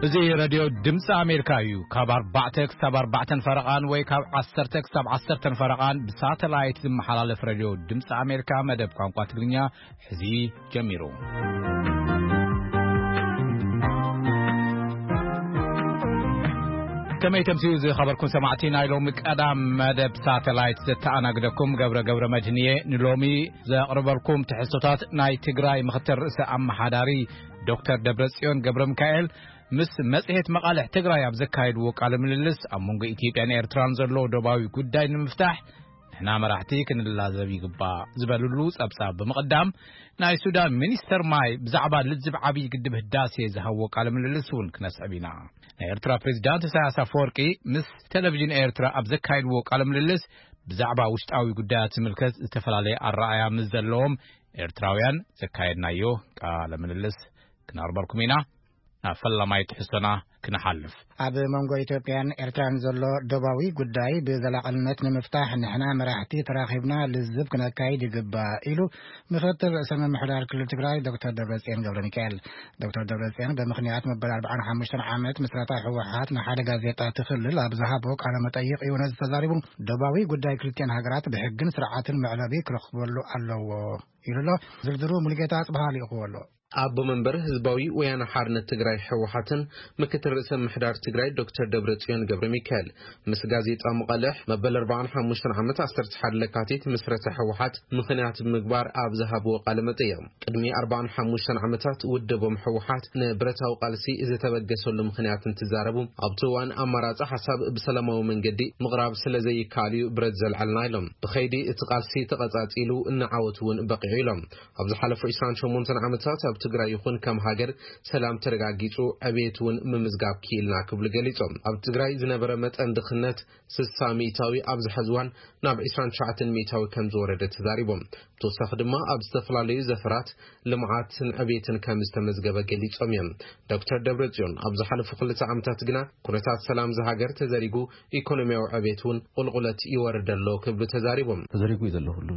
እዚ ሬድዮ ድምፂ ኣሜሪካ እዩ። ካብ ኣርባዕተ ክሳብ ኣርባዕተን ፈረቓን ወይ ካብ ዓሰርተ ክሳብ ዓሰርተን ፈረቓን ብሳተላይት ዝመሓላለፍ ሬድዮ ድምፂ ኣሜሪካ መደብ ቋንቋ ትግርኛ ሕዚ ጀሚሩ። ከመይ ተምስዩ ዝኸበርኩም ሰማዕቲ ናይ ሎሚ ቀዳም መደብ ሳተላይት ዘተኣናግደኩም ገብረ ገብረ መድህን እየ። ንሎሚ ዘቕርበልኩም ትሕዝቶታት ናይ ትግራይ ምኽትል ርእሰ ኣመሓዳሪ ዶክተር ደብረጽዮን ገብረ ሚካኤል ምስ መጽሔት መቓልሕ ትግራይ ኣብ ዘካየድዎ ቃለ ምልልስ ኣብ መንጎ ኢትዮጵያን ኤርትራን ዘሎ ዶባዊ ጉዳይ ንምፍታሕ ንሕና መራሕቲ ክንላዘብ ይግባእ ዝበልሉ ጸብጻብ ብምቕዳም ናይ ሱዳን ሚኒስተር ማይ ብዛዕባ ልዝብ ዓብዪ ግድብ ህዳሴ ዝሃብዎ ቃለ ምልልስ እውን ክነስዕብ ኢና። ናይ ኤርትራ ፕሬዚዳንት ኢሳያስ ኣፈወርቂ ምስ ቴሌቪዥን ኤርትራ ኣብ ዘካየድዎ ቃለ ምልልስ ብዛዕባ ውሽጣዊ ጉዳያት ዝምልከት ዝተፈላለየ ኣረኣያ ምስ ዘለዎም ኤርትራውያን ዘካየድናዮ ቃለ ምልልስ ክነቕርበልኩም ኢና። ናብ ፈላማይ ትሕዝቶና ክንሓልፍ። ኣብ መንጎ ኢትዮጵያን ኤርትራን ዘሎ ዶባዊ ጉዳይ ብዘላቕነት ንምፍታሕ ንሕና መራሕቲ ተራኺብና ልዝብ ክነካይድ ይግባእ ኢሉ ምክትል ርእሰ ምምሕዳር ክልል ትግራይ ዶክተር ደብረጽዮን ገብረ ሚካኤል። ዶክተር ደብረጽዮን ብምኽንያት መበል ኣርባዓን ሓሙሽተን ዓመት ምስረታ ህወሓት ንሓደ ጋዜጣ እቲ ክልል ኣብ ዝሃቦ ቃለ መጠይቕ እዩ ነዚ ተዛሪቡ። ዶባዊ ጉዳይ ክልቲኣን ሃገራት ብሕግን ስርዓትን መዕለቢ ክረኽበሉ ኣለዎ ኢሉ ኣሎ። ዝርዝሩ ሙሉጌታ ኣጽብሃ ልኢኽዎ ኣሎ። ኣቦ መንበር ህዝባዊ ወያነ ሓርነት ትግራይ ህወሓትን ምክትል ርእሰ ምሕዳር ትግራይ ዶክተር ደብረጽዮን ገብረ ሚካኤል ምስ ጋዜጣ መቐልሕ መበል ኣርባዓን ሓሙሽተን ዓመት ዓሰርተ ሓደ ለካቲት ምስረታ ህወሓት ምኽንያት ብምግባር ኣብ ዝሃብዎ ቃለ መጠይቕ፣ ቅድሚ ኣርባዓን ሓሙሽተን ዓመታት ውድቦም ህወሓት ንብረታዊ ቃልሲ ዝተበገሰሉ ምኽንያት እንትዛረቡ፣ ኣብቲ እዋን ኣማራጺ ሓሳብ ብሰላማዊ መንገዲ ምቕራብ ስለ ዘይከኣል እዩ ብረት ዘልዓልና ኢሎም። ብኸይዲ እቲ ቃልሲ ተቐጻጺሉ፣ ንዓወት እውን በቒዑ ኢሎም። ኣብ ዝሓለፉ ዕስራን ሸሞንተን ዓመታት ኣብ ትግራይ ይኹን ከም ሃገር ሰላም ተረጋጊጹ፣ ዕብየት እውን ምምዝጋብ ክኢልና ክብሉ ገሊጾም። ኣብ ትግራይ ዝነበረ መጠን ድኽነት ስሳ ሚእታዊ ኣብዚ ሐዚ እዋን ናብ ዕስራን ትሽዓተን ሚእታዊ ከም ዝወረደ ተዛሪቦም። ብተወሳኺ ድማ ኣብ ዝተፈላለዩ ዘፈራት ልምዓትን ዕብየትን ከም ዝተመዝገበ ገሊጾም እዮም። ዶክተር ደብረጽዮን ኣብ ዝሓለፉ ክልተ ዓመታት ግና ኩነታት ሰላም ዝሃገር ተዘሪጉ፣ ኢኮኖሚያዊ ዕብየት እውን ቁልቁለት ይወርድ ኣሎ ክብሉ ተዛሪቦም። ተዘሪጉ እዩ ዘሎ ኩሉ።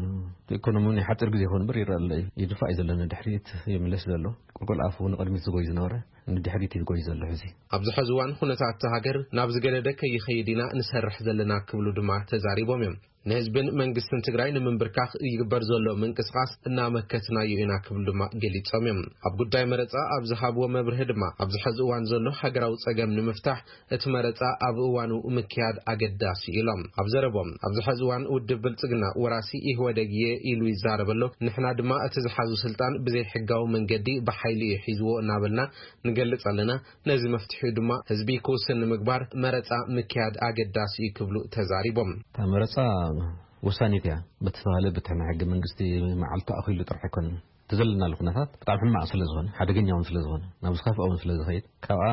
ኢኮኖሚ ናይ ሓፂር ግዜ ይኸውን እምበር ይረአ ኣሎ እዩ። ይድፋእ እዩ ዘሎ ንድሕሪት ይምለስ ዘሎ። ቁልቁል ኣፉ ንቕድሚት ዝጎይ ዝነበረ ንድሕሪት እዩ ዝጎይ ዘሎ ሕዚ። ኣብዚ ሕዚ እዋን ኩነታት እታ ሃገር ናብ ዝገደደ ከይኸይድ ኢና ንሰርሕ ዘለና ክብሉ ድማ ተዛሪቦም እዮም። ንህዝብን መንግስትን ትግራይ ንምንብርካኽ ይግበር ዘሎ ምንቅስቓስ እናመከትናዮ ኢና ክብሉ ድማ ገሊጾም እዮም። ኣብ ጉዳይ መረጻ ኣብ ዝሃብዎ መብርሂ ድማ ኣብዚ ሕዚ እዋን ዘሎ ሃገራዊ ጸገም ንምፍታሕ እቲ መረጻ ኣብ እዋኑ ምክያድ ኣገዳሲ ኢሎም። ኣብ ዘረቦም ኣብዚ ሕዚ እዋን ውድብ ብልጽግና ወራሲ ኢህወደግ እየ ኢሉ ይዛረብ ኣሎ። ንሕና ድማ እቲ ዝሓዙ ስልጣን ብዘይ ሕጋዊ መንገዲ ብሓይሊ እዩ ሒዝዎ እናበልና ንገልጽ ኣለና። ነዚ መፍትሒኡ ድማ ህዝቢ ክውስን ንምግባር መረጻ ምክያድ ኣገዳሲ እዩ ክብሉ ተዛሪቦም። እታ መረጻ ወሳኒት እያ። በቲ ዝተባህለ በቲ ናይ ሕገ መንግስቲ መዓልቲ ኣኺሉ ጥራሕ ኣይኮነን። እቲ ዘለናሉ ኩነታት ብጣዕሚ ሕማቕ ስለ ዝኾነ፣ ሓደገኛ እውን ስለ ዝኾነ፣ ናብ ዝኸፍኣ እውን ስለ ዝኸይድ፣ ካብኣ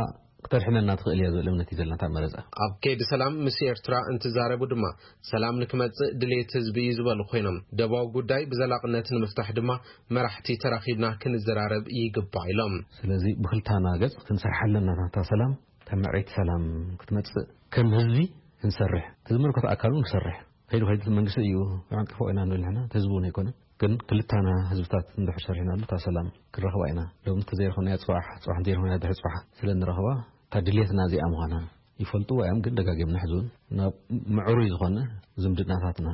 ክተድሕነና ትኽእል እያ ዝብል እምነት እዩ ዘለና እታ መረጻ። ኣብ ከይዲ ሰላም ምስ ኤርትራ እንትዛረቡ ድማ ሰላም ንክመጽእ ድሌት ህዝቢ እዩ ዝበሉ ኮይኖም፣ ደባዊ ጉዳይ ብዘላቕነት ንምፍታሕ ድማ መራሕቲ ተራኺብና ክንዘራረብ ይግባእ ኢሎም። ስለዚ ብክልታና ገጽ ክንሰርሓ ኣለና። እታ ሰላም፣ እታ ምዕረይቲ ሰላም ክትመጽእ ከም ህዝቢ ክንሰርሕ፣ እቲ ዝምልከቶ ኣካል እውን ክሰርሕ። ከይዱ ከይዱ እቲ መንግስቲ እዩ ዓንቂፎ ኢና ንብል ንሕና፣ እቲ ህዝቢ እውን ኣይኮነን። ግን ክልታና ህዝብታት እንድሕር ሰሪሕናሉ እታ ሰላም ክንረኽባ ኢና። ሎሚ እንተዘይረኸብናያ ጽባሕ፣ ጽባሕ እንተዘይረኸብናያ ድሕሪ ጽባሕ ስለ እንረኽባ እታ ድልየትና እዚኣ ምዃና ይፈልጥዎ እዮም። ግን ደጋጊምና ሕዚ እውን ናብ ምዕሩይ ዝኾነ ዝምድናታትና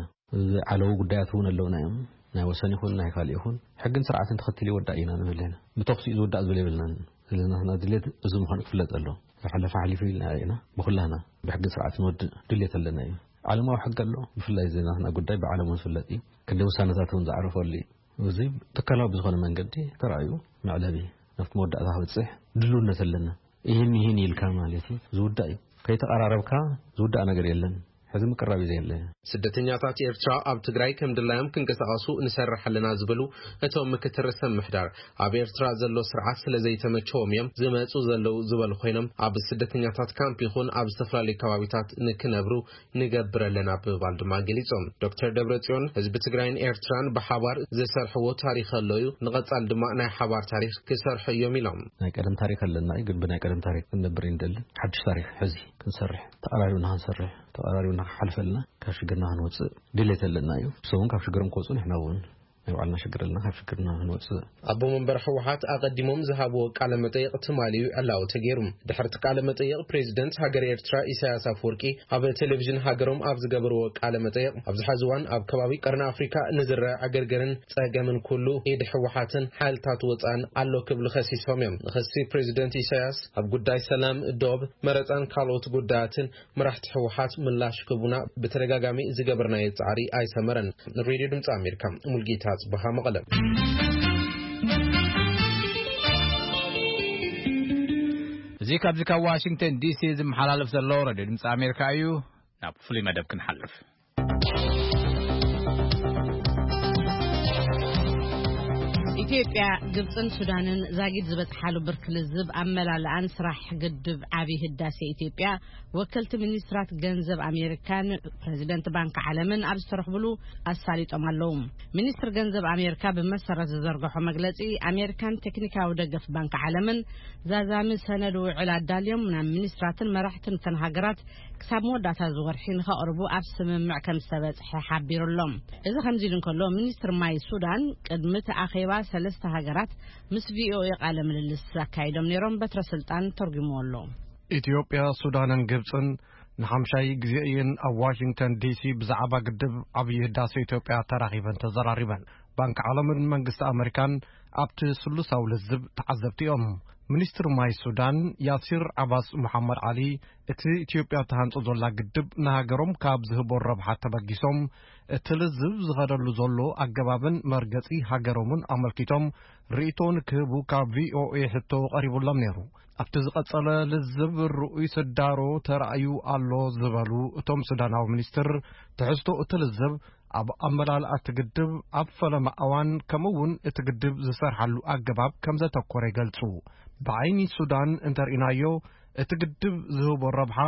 ዝዓለዉ ጉዳያት እውን ኣለውና እዮም። ናይ ወሰን ይኹን ናይ ካልእ ይኹን ሕግን ስርዓትን ተኸቲሉ ይወዳእ ኢና ንብል ኢና። ብተኹሲ እዩ ዝውዳእ ዝብል የብልናን። ስለዚ ናትና ድሌት እዚ ምዃኑ ክፍለጥ ኣሎ። ዝሓለፈ ሓሊፉ ኢልና ኢና። ብኹላና ብሕግን ስርዓትን ወዲ ድሌት ኣለና እዩ። ዓለማዊ ሕጊ ኣሎ። ብፍላይ እዚ ናትና ጉዳይ ብዓለም እውን ዝፍለጥ እዩ። ክንደይ ውሳነታት እውን ዝዓረፈሉ እዩ። እዚ ትካላዊ ብዝኾነ መንገዲ ተራእዩ መዕለቢ ናብቲ መወዳእታ ክበፅሕ ድልውነት ኣለና። ይህን ይህን ኢልካ ማለት እዩ ዝውዳእ እዩ። ከይተቐራረብካ ዝውዳእ ነገር የለን። ሕዚ ምቅራብ እዩ ዘየለ። ስደተኛታት ኤርትራ ኣብ ትግራይ ከም ድላዮም ክንቀሳቐሱ ንሰርሕ ኣለና ዝበሉ እቶም ምክትል ርእሰ ምምሕዳር፣ ኣብ ኤርትራ ዘሎ ስርዓት ስለ ዘይተመቸዎም እዮም ዝመጹ ዘለዉ ዝበሉ ኮይኖም፣ ኣብ ስደተኛታት ካምፕ ይኹን ኣብ ዝተፈላለዩ ከባቢታት ንክነብሩ ንገብር ኣለና ብምባል ድማ ገሊጾም። ዶክተር ደብረጽዮን፣ ህዝቢ ትግራይን ኤርትራን ብሓባር ዝሰርሕዎ ታሪኽ ኣሎ እዩ፣ ንቐጻሊ ድማ ናይ ሓባር ታሪኽ ክሰርሑ እዮም ኢሎም። ናይ ቀደም ታሪኽ ኣለና እዩ፣ ግን ብናይ ቀደም ታሪኽ ክንነብር እዩ ንደሊ። ሓድሽ ታሪኽ ሕዚ ክንሰርሕ፣ ተቐራሪብና ክንሰርሕ፣ ተቐራሪብና ክሓልፈልና፣ ካብ ሽግርና ክንወፅእ ድሌት ኣለና እዩ። እሶም እውን ካብ ሽግሮም ክወፁ ንሕና እውን ናይ ባዕልና ሽግር ኣለና፣ ካብ ሽግርና ክንወፅእ። ኣቦ መንበር ህወሓት ኣቐዲሞም ዝሃብዎ ቃለ መጠይቕ ትማሊ ዕላዊ ተገይሩ። ድሕርቲ ቃለ መጠይቕ፣ ፕሬዚደንት ሃገር ኤርትራ ኢሳያስ ኣፈወርቂ ኣብ ቴሌቪዥን ሃገሮም ኣብ ዝገበርዎ ቃለ መጠይቕ፣ ኣብዚ ሕዚ እዋን ኣብ ከባቢ ቀርኒ ኣፍሪካ ንዝረአ ዕግርግርን ጸገምን ኩሉ ኢድ ህወሓትን ሓይልታት ወጻን ኣሎ ክብሉ ከሲሶም እዮም። ንክሲ ፕሬዚደንት ኢሳያስ ኣብ ጉዳይ ሰላም፣ ዶብ፣ መረጻን ካልኦት ጉዳያትን መራሕቲ ህወሓት ምላሽ ክህቡና ብተደጋጋሚ ዝገበርናዮ ጻዕሪ ኣይሰመረን። ንሬድዮ ድምፂ ኣሜሪካ፣ ሙልጌታ ጽበሃ፣ መቐለ። እዚ ካብዚ ካብ ዋሽንግተን ዲሲ ዝመሓላለፍ ዘሎ ሬድዮ ድምፂ ኣሜሪካ እዩ። ናብ ፍሉይ መደብ ክንሓልፍ። ኢትዮጵያ፣ ግብፅን ሱዳንን ዛጊድ ዝበፅሓሉ ብርኪ ልዝብ ኣመላልኣን ስራሕ ግድብ ዓብዪ ህዳሴ ኢትዮጵያ ወከልቲ ሚኒስትራት ገንዘብ ኣሜሪካን ፕሬዚደንት ባንክ ዓለምን ኣብ ዝተረኽብሉ ኣሳሊጦም ኣለዉ። ሚኒስትር ገንዘብ ኣሜሪካ ብመሰረት ዝዘርግሖ መግለፂ፣ ኣሜሪካን ቴክኒካዊ ደገፍ ባንክ ዓለምን ዛዛሚ ሰነድ ውዕል ኣዳልዮም ናብ ሚኒስትራትን መራሕትን እተን ሃገራት ክሳብ መወዳእታ እዚ ወርሒ ንኸቕርቡ ኣብ ስምምዕ ከም ዝተበጽሐ ሓቢሩ ኣሎ። እዚ ከምዚ ኢሉ እንከሎ፣ ሚኒስትር ማይ ሱዳን ቅድሚ እቲ ኣኼባ ሰለስተ ሃገራት ምስ ቪኦኤ ቃለ ምልልስ ኣካይዶም ነይሮም። በትረ ስልጣን ተርጉምዎ ኣሎ። ኢትዮጵያ፣ ሱዳንን ግብጽን ንሓምሻይ ግዜ እየን ኣብ ዋሽንግተን ዲሲ ብዛዕባ ግድብ ዓብዪ ህዳሴ ኢትዮጵያ ተራኺበን ተዘራሪበን። ባንክ ዓለምን መንግስቲ ኣመሪካን ኣብቲ ስሉሳዊ ልዝብ ተዓዘብቲ እዮም። ሚኒስትር ማይ ሱዳን ያሲር ዓባስ መሓመድ ዓሊ፣ እቲ ኢትዮጵያ ትሃንጾ ዘላ ግድብ ንሃገሮም ካብ ዝህቦ ረብሓ ተበጊሶም፣ እቲ ልዝብ ዝኸደሉ ዘሎ ኣገባብን መርገጺ ሃገሮምን ኣመልኪቶም ርእይቶ ንክህቡ ካብ ቪኦኤ ሕቶ ቀሪቡሎም ነይሩ። ኣብቲ ዝቐጸለ ልዝብ ርኡይ ስዳሮ ተራእዩ ኣሎ ዝበሉ እቶም ሱዳናዊ ሚኒስትር፣ ትሕዝቶ እቲ ልዝብ ኣብ ኣመላልኣ እቲ ግድብ፣ ኣብ ፈለማ እዋን፣ ከምኡ እውን እቲ ግድብ ዝሰርሓሉ ኣገባብ ከም ዘተኮረ ይገልጹ። ብዓይኒ ሱዳን እንተርኢናዮ፣ እቲ ግድብ ዝህቦ ረብሓ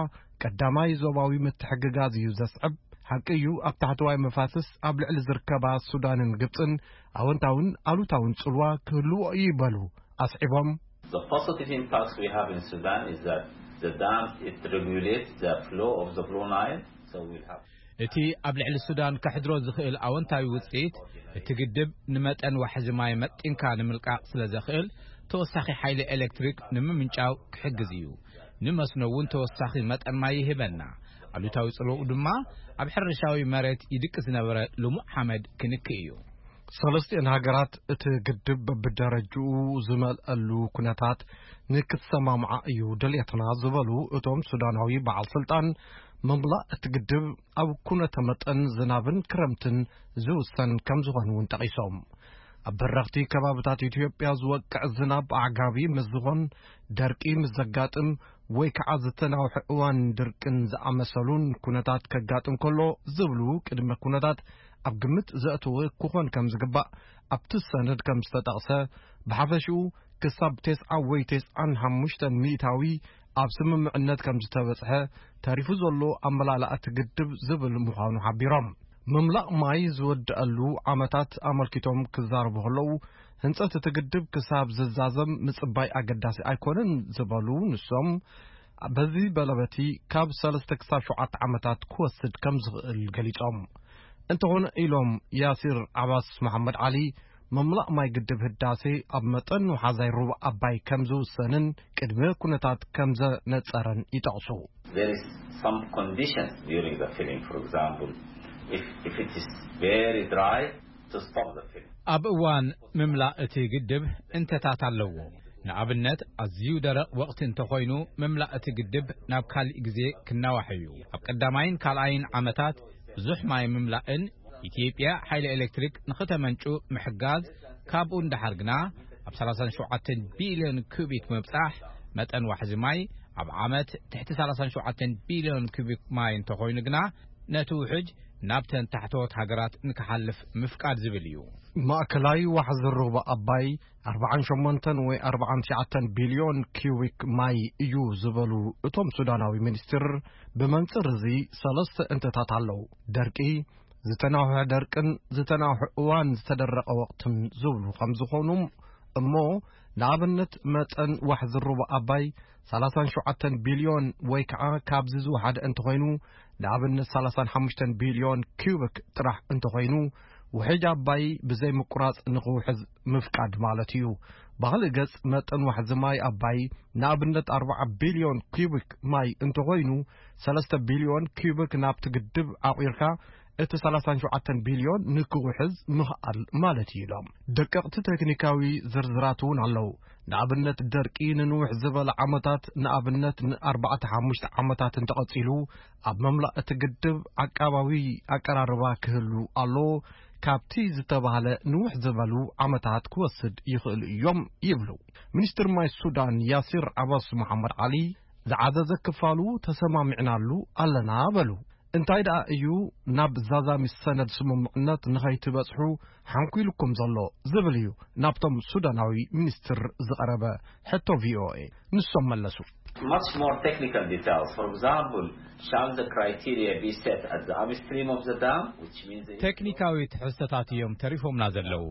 ቀዳማይ ዞባዊ ምትሕግጋዝ እዩ ዘስዕብ። ሓቂ እዩ፣ ኣብ ታሕተዋይ መፋስስ ኣብ ልዕሊ ዝርከባ ሱዳንን ግብጽን ኣወንታውን ኣሉታውን ጽልዋ ክህልዎ እዩ ይበሉ ኣስዒቦም። The positive impacts we have in Sudan is that the dams, it regulates the flow of the Blue Nile, so we'll have እቲ ኣብ ልዕሊ ሱዳን ከሕድሮ ዝኽእል ኣወንታዊ ውጽኢት፣ እቲ ግድብ ንመጠን ዋሕዚ ማይ መጢንካ ንምልቃቕ ስለ ዘኽእል፣ ተወሳኺ ሓይሊ ኤሌክትሪክ ንምምንጫው ክሕግዝ እዩ። ንመስኖ እውን ተወሳኺ መጠን ማይ ይህበና። ኣሉታዊ ጽልዋኡ ድማ ኣብ ሕርሻዊ መሬት ይድቂ ዝነበረ ልሙዕ ሓመድ ክንክእ እዩ። ሰለስቲኤን ሃገራት እቲ ግድብ በብደረጅኡ ዝመልአሉ ኩነታት ንክሰማምዓ እዩ ድልየትና ዝበሉ እቶም ሱዳናዊ በዓል ስልጣን፣ ምምላእ እቲ ግድብ ኣብ ኩነተ መጠን ዝናብን ክረምትን ዝውሰን ከም ዝኾነ እውን ጠቒሶም። ኣብ በረኽቲ ከባብታት ኢትዮጵያ ዝወቅዕ ዝናብ ኣዕጋቢ ምስ ዝኾን፣ ደርቂ ምስ ዘጋጥም ወይ ከዓ ዝተናውሐ እዋን ድርቅን ዝኣመሰሉን ኩነታት ከጋጥም ከሎ ዝብሉ ቅድመ ኩነታት ኣብ ግምት ዘእተወ ክኾን ከም ዝግባእ ኣብቲ ሰነድ ከም ዝተጠቕሰ፣ ብሓፈሽኡ ክሳብ ተስዓ ወይ ተስዓን ሓሙሽተን ሚእታዊ ኣብ ስምምዕነት ከም ዝተበጽሐ፣ ተሪፉ ዘሎ ኣመላልኣ እቲ ግድብ ዝብል ምዃኑ ሓቢሮም። ምምላእ ማይ ዝወድኣሉ ዓመታት ኣመልኪቶም ክዛረቡ ከለዉ፣ ህንጸት እቲ ግድብ ክሳብ ዝዛዘም ምጽባይ ኣገዳሲ ኣይኮነን ዝበሉ ንሶም፣ በዚ በለበቲ ካብ ሰለስተ ክሳብ ሸውዓተ ዓመታት ክወስድ ከም ዝኽእል ገሊጾም። እንተኾነ ኢሎም ያሲር ዓባስ መሓመድ ዓሊ፣ ምምላእ ማይ ግድብ ህዳሴ ኣብ መጠን ወሓዛይ ሩባ ኣባይ ከም ዝውሰንን ቅድመ ኩነታት ከም ዘነጸረን ይጠቕሱ። There is some conditions during the filling, for example, if, if it is very dry, to stop the filling. ኣብ እዋን ምምላእ እቲ ግድብ እንተታት ኣለዎ። ንኣብነት፣ ኣዝዩ ደረቕ ወቕቲ እንተኾይኑ፣ ምምላእ እቲ ግድብ ናብ ካልእ ግዜ ክናዋሕ እዩ። ኣብ ቀዳማይን ካልኣይን ዓመታት ብዙሕ ማይ ምምላእን ኢትዮጵያ ሓይሊ ኤሌክትሪክ ንኽተመንጩ ምሕጋዝ፣ ካብኡ ንደሓር ግና ኣብ ሰላሳን ሸውዓተን ቢልዮን ኩቢክ ምብጻሕ፣ መጠን ዋሕዚ ማይ ኣብ ዓመት ትሕቲ ሰላሳን ሸውዓተን ቢልዮን ኩቢክ ማይ እንተኾይኑ ግና፣ ነቲ ውሕጅ ናብተን ታሕተዎት ሃገራት ንክሓልፍ ምፍቃድ ዝብል እዩ። ማእከላይ ዋሕዚ ሩባ ኣባይ ኣርባዓን ሸሞንተን ወይ ኣርባዓን ትሽዓተን ቢልዮን ኪዩቢክ ማይ እዩ ዝበሉ እቶም ሱዳናዊ ሚኒስትር፣ ብመንጽር እዚ ሰለስተ እንተታት ኣለዉ። ደርቂ፣ ዝተናውሐ ደርቅን ዝተናውሐ እዋን ዝተደረቐ ወቕትን ዝብሉ ከም ዝኾኑ፣ እሞ ንኣብነት መጠን ዋሕዚ ሩባ ኣባይ ሰላሳን ሸውዓተን ቢልዮን ወይ ከዓ ካብዚ ዝወሓደ እንተኾይኑ፣ ንኣብነት ሰላሳን ሓሙሽተን ቢልዮን ኪዩቢክ ጥራሕ እንተኾይኑ፣ ውሕጅ ኣባይ ብዘይ ምቁራጽ ንኽውሕዝ ምፍቃድ ማለት እዩ። ብኻልእ ገጽ፣ መጠን ዋሕዚ ማይ ኣባይ ንኣብነት ኣርባዓ ቢልዮን ኪዩቢክ ማይ እንተኾይኑ፣ ሰለስተ ቢልዮን ኪዩቢክ ናብቲ ግድብ ዓቑርካ እቲ ሰላሳን ሸውዓተን ቢልዮን ንክውሕዝ ምኽኣል ማለት እዩ ኢሎም። ደቀቕቲ ቴክኒካዊ ዝርዝራት እውን ኣለዉ። ንኣብነት ደርቂ ንንውሕ ዝበለ ዓመታት፣ ንኣብነት ንኣርባዕተ ሓሙሽተ ዓመታት እንተቐጺሉ፣ ኣብ መምላእ እቲ ግድብ ዓቃባዊ ኣቀራርባ ክህሉ ኣለዎ። ካብቲ ዝተባህለ ንውሕ ዝበሉ ዓመታት ክወስድ ይኽእሉ እዮም ይብሉ። ሚኒስትር ማይ ሱዳን ያሲር ዓባስ መሓመድ ዓሊ ዝዓዘዘ ክፋሉ ተሰማሚዕናሉ ኣለና በሉ። እንታይ ደኣ እዩ ናብ ዛዛሚ ሰነድ ስምምዕነት ንኸይትበጽሑ ሓንኲልኩም ዘሎ ዝብል እዩ ናብቶም ሱዳናዊ ሚኒስትር ዝቐረበ ሕቶ ቪኦኤ። ንሶም መለሱ። Much more technical details. For example, shall the criteria be set at the upstream of the dam, which means the ቴክኒካዊ ትሕዝቶታት እዮም ተሪፎምና ዘለዉ።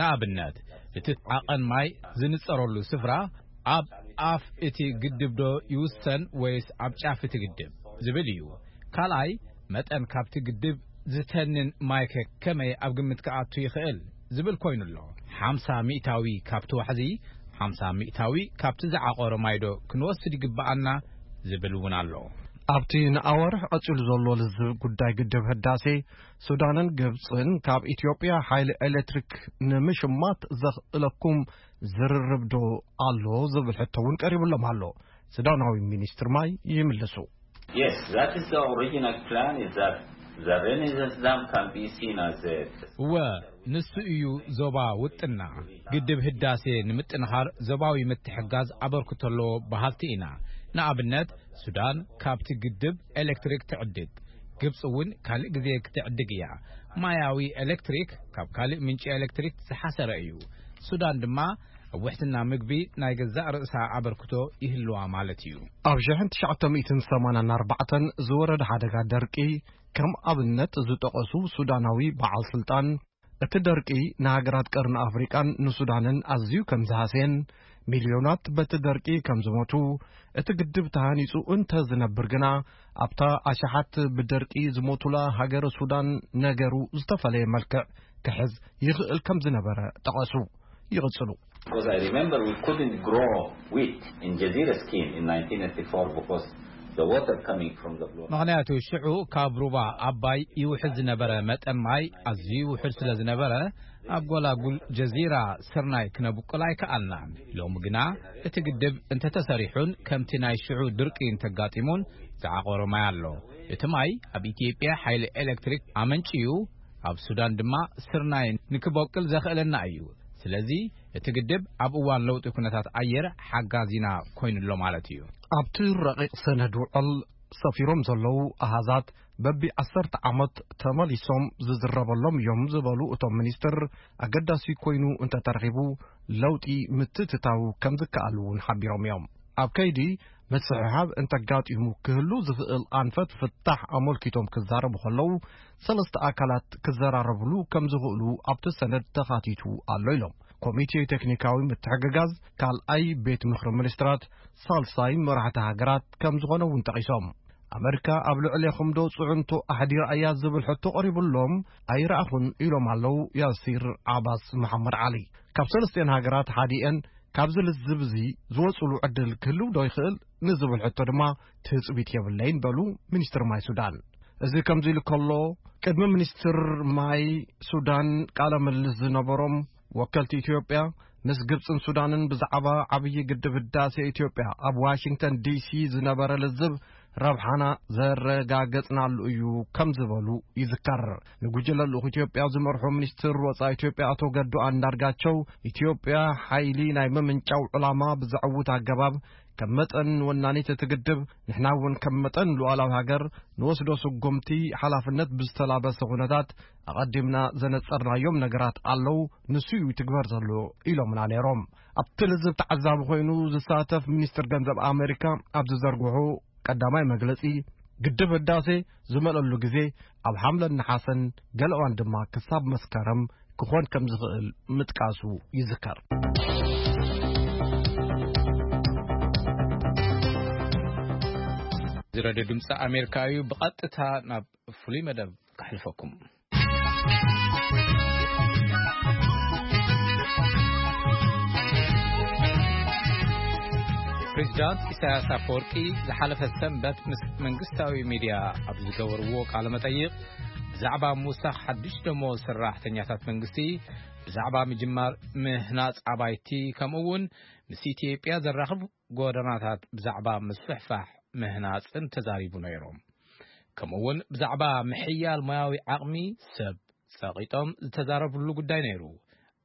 ንኣብነት፣ እቲ ዓቐን ማይ ዝንጸረሉ ስፍራ ኣብ ኣፍ እቲ ግድብ ዶ ይውሰን ወይስ ኣብ ጫፍ እቲ ግድብ ዝብል እዩ። ካልኣይ፣ መጠን ካብቲ ግድብ ዝተንን ማይከ ከመይ ኣብ ግምት ክኣቱ ይኽእል ዝብል ኮይኑ ኣሎ። ሓምሳ ሚእታዊ ካብቲ ዋሕዚ፣ ሓምሳ ሚእታዊ ካብቲ ዝዓቆረ ማይዶ ክንወስድ ይግብኣና ዝብል እውን ኣሎ። ኣብቲ ንኣዋርሕ ቀጺሉ ዘሎ ልዝብ ጉዳይ ግድብ ህዳሴ፣ ሱዳንን ግብጽን ካብ ኢትዮጵያ ሓይሊ ኤሌክትሪክ ንምሽማት ዘኽእለኩም ዝርርብ ዶ ኣሎ ዝብል ሕቶ እውን ቀሪብሎም ኣሎ። ሱዳናዊ ሚኒስትር ማይ ይምልሱ። Yes, that is the original plan, is that the Renaissance Dam can be seen as a እወ፣ ንሱ እዩ ዞባ ውጥና። ግድብ ህዳሴ ንምጥንኻር ዞባዊ ምትሕጋዝ ኣበርክቶ ኣለዎ በሃልቲ ኢና። ንኣብነት፣ ሱዳን ካብቲ ግድብ ኤሌክትሪክ ትዕድግ፣ ግብፂ እውን ካልእ ግዜ ክትዕድግ እያ። ማያዊ ኤሌክትሪክ ካብ ካልእ ምንጪ ኤሌክትሪክ ዝሓሰረ እዩ። ሱዳን ድማ ኣብ ውሕስና ምግቢ ናይ ገዛእ ርእሳ ኣበርክቶ ይህልዋ ማለት እዩ። ኣብ ሽሕን ትሽዓተ ሚእትን ሰማንያን ኣርባዕተን ዝወረደ ሓደጋ ደርቂ ከም ኣብነት ዝጠቐሱ ሱዳናዊ በዓል ስልጣን፣ እቲ ደርቂ ንሃገራት ቀርኒ ኣፍሪቃን ንሱዳንን ኣዝዩ ከም ዝሃስየን፣ ሚልዮናት በቲ ደርቂ ከም ዝሞቱ፣ እቲ ግድብ ተሃኒጹ እንተ ዝነብር ግና፣ ኣብታ ኣሽሓት ብደርቂ ዝሞቱላ ሃገረ ሱዳን ነገሩ ዝተፈለየ መልክዕ ክሕዝ ይኽእል ከም ዝነበረ ጠቐሱ። ይቕጽሉ። Because I remember we couldn't grow wheat in Jazeera scheme in nineteen eighty-four because the water coming from the Blue Nile. ምኽንያቱ ሽዑ ካብ ሩባ ኣባይ ይውሕዝ ዝነበረ መጠን ማይ ኣዝዩ ውሑድ ስለ ዝነበረ፣ ኣብ ጎላጉል ጀዚራ ስርናይ ክነብቁል ኣይከኣልናን። ሎሚ ግና እቲ ግድብ እንተተሰሪሑን ከምቲ ናይ ሽዑ ድርቂ እንተጋጢሙን ዝዓቆረ ማይ ኣሎ። እቲ ማይ ኣብ ኢትዮጵያ ሓይሊ ኤሌክትሪክ ኣመንጭዩ፣ ኣብ ሱዳን ድማ ስርናይ ንክበቁል ዘኽእለና እዩ። ስለዚ እቲ ግድብ ኣብ እዋን ለውጢ ኩነታት ኣየር ሓጋዚና ኮይኑሎ ማለት እዩ። ኣብቲ ረቂቕ ሰነድ ውዕል ሰፊሮም ዘለዉ ኣሃዛት በቢ ዓሰርተ ዓመት ተመሊሶም ዝዝረበሎም እዮም ዝበሉ እቶም ሚኒስትር፣ ኣገዳሲ ኮይኑ እንተተረኺቡ ለውጢ ምትእትታው ከም ዝከኣል እውን ሓቢሮም እዮም። ኣብ ከይዲ ምስሕሓብ እንተጋጢሙ ክህሉ ዝኽእል ኣንፈት ፍታሕ ኣመልኪቶም ክዛረቡ ከለዉ፣ ሰለስተ ኣካላት ክዘራረብሉ ከም ዝኽእሉ ኣብቲ ሰነድ ተኻቲቱ ኣሎ ኢሎም። ኮሚቴ ቴክኒካዊ ምትሕግጋዝ ካልኣይ ቤት ምኽሪ ሚኒስትራት፣ ሳልሳይ መራሕቲ ሃገራት ከም ዝኾነ እውን ጠቒሶም። ኣመሪካ ኣብ ልዕሌኹም ዶ ጽዕንቶ ኣሕዲራ እያ ዝብል ሕቶ ቀሪቡሎም ኣይረኣኹን ኢሎም ኣለዉ ያሲር ዓባስ መሓመድ ዓሊ። ካብ ሰለስቲኤን ሃገራት ሓዲኤን ካብዚ ልዝብ እዚ ዝወጽሉ ዕድል ክህልው ዶ ይኽእል ንዝብል ሕቶ ድማ ትጽቢት የብለይን በሉ ሚኒስትር ማይ ሱዳን። እዚ ከምዚ ኢሉ ከሎ፣ ቅድሚ ሚኒስትር ማይ ሱዳን ቃለ ምልልስ ዝነበሮም ወከልቲ ኢትዮጵያ፣ ምስ ግብጽን ሱዳንን ብዛዕባ ዓብዪ ግድብ ህዳሴ ኢትዮጵያ ኣብ ዋሽንግተን ዲሲ ዝነበረ ልዝብ ረብሓና ዘረጋገጽናሉ እዩ ከም ዝበሉ ይዝከር። ንጉጅለ ልኡኽ ኢትዮጵያ ዝመርሑ ሚኒስትር ወጻኢ ኢትዮጵያ ኣቶ ገዱ ኣንዳርጋቸው፣ ኢትዮጵያ ሓይሊ ናይ ምምንጫው ዕላማ ብዘዕውት ኣገባብ፣ ከም መጠን ወናኒት እቲ ግድብ፣ ንሕና እውን ከም መጠን ሉዓላዊ ሃገር ንወስዶ ስጉምቲ ሓላፍነት ብዝተላበሰ ኩነታት ኣቐዲምና ዘነጸርናዮም ነገራት ኣለዉ፣ ንሱ እዩ ይትግበር ዘሎ ኢሎምና ነይሮም። ኣብቲ ልዝብ ተዓዛቢ ኮይኑ ዝሳተፍ ሚኒስትር ገንዘብ ኣሜሪካ ኣብ ዝዘርግሑ ቀዳማይ መግለጺ፣ ግድብ ህዳሴ ዝመለሉ ግዜ ኣብ ሓምለን ነሓሰን፣ ገለ እዋን ድማ ክሳብ መስከረም ክኾን ከም ዝኽእል ምጥቃሱ ይዝከር። እዚ ሬድዮ ድምፂ ኣሜሪካ እዩ። ብቐጥታ ናብ ፍሉይ መደብ ከሕልፈኩም። ፕሬዚዳንት ኢሳያስ ኣፈወርቂ ዝሓለፈ ሰንበት ምስ መንግስታዊ ሚድያ ኣብ ዝገበርዎ ቃለ መጠይቕ፣ ብዛዕባ ምውሳኽ ሓድሽ ደሞዝ ሰራሕተኛታት መንግስቲ፣ ብዛዕባ ምጅማር ምህናጽ ኣባይቲ፣ ከምኡ እውን ምስ ኢትዮጵያ ዘራኽብ ጎደናታት ብዛዕባ ምስፍሕፋሕ ምህናጽን ተዛሪቡ ነይሮም። ከምኡ እውን ብዛዕባ ምሕያል ሞያዊ ዓቕሚ ሰብ ጸቒጦም ዝተዛረብሉ ጉዳይ ነይሩ።